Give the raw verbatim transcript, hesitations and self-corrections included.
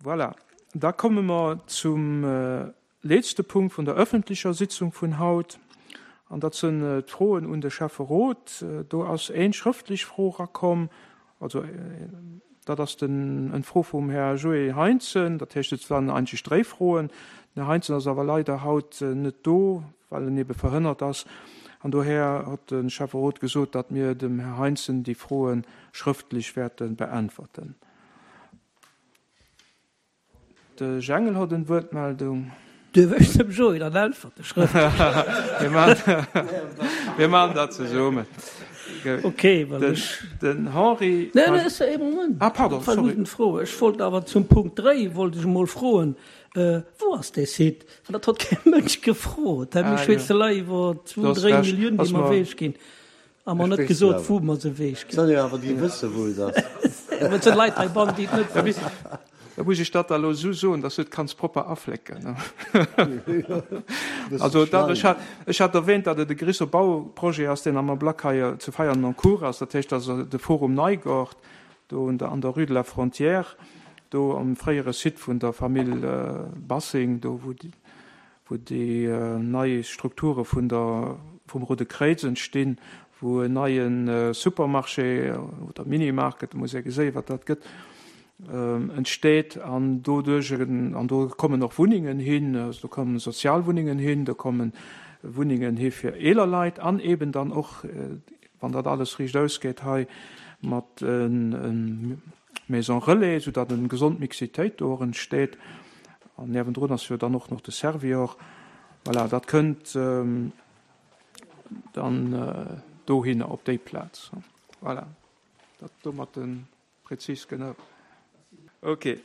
Voilà. Da komme mer zum letzte Punkt vun der öffentlecher Sitzung vun haut. An dat sinn d'Froen un de Schäfferot. Do ass eng schrëftlech Fro erakomm, also dat ass den eng Fro vum Här Joé Heinzen. Dat heescht, et waren eigentlech dräi Froen. Den Här Heinzen ass awer leider haut net do, well en ebe verhënnert ass. An dohier huet de Schäfferot gesot, datt mir dem Här Heinzen déi Froe schrëftlech wäerte beäntwerten. De Jengel huet eng Wuertmeldung. Duerf ech dem Joé dann äntwerte schrëftlech? Mir maachen, mir maachen dat zesummen. Okay, well ech. Den Henri. Nee, nee, ass ee Moment. Ah, pardon, sorry. War Fro. Ech wollt awer zum Punkt dräi wollt ech emol froen, wou ass dee Site? Well dat huet kee Mënsch gefrot. Mir schwätze lei iwwer zwou, dréi Milliounen, déi mer ewech ginn. A mer net gesot, wou mer se ewech ginn. Soll jo awer déi wësse wou et ass. Et sinn Leit heibannen, déi et net wëssen. Da muss ech dat da elo esou soen, dass du et kanns propper aflécken. Also dat, ech hat, ech hat erwähnt, datt et e gréisser Bauprojet ass, deen am Ablack hei zu Veianen en cours ass. Dat heescht, also de Forum Neigort do un der, an der Rue de la Frontière, do am fréiere Site vun der Famill Bassing, do wou déi, wou déi nei Strukture vun der, vum Roude Kréiz entstinn, wou en neie Supermarché oder Minimarket, muss ee geséien, wat dat gëtt, entsteet an doduerch an do kommen och Wunnengen hin, also do kommen Sozialwunnengen hin, do kommen Wunnengen hi fir eeler Leit an eben dann och, wann dat alles riicht ausgeet hei, mat Maison relais, soudatt eng gesond Mixitéit do och entsteet. An niewendrun ass jo dann och nach de Servior. Voilà, dat kënnt dann dohinner op déi Plaz. Voilà, dat domat de prezis genau. Ok,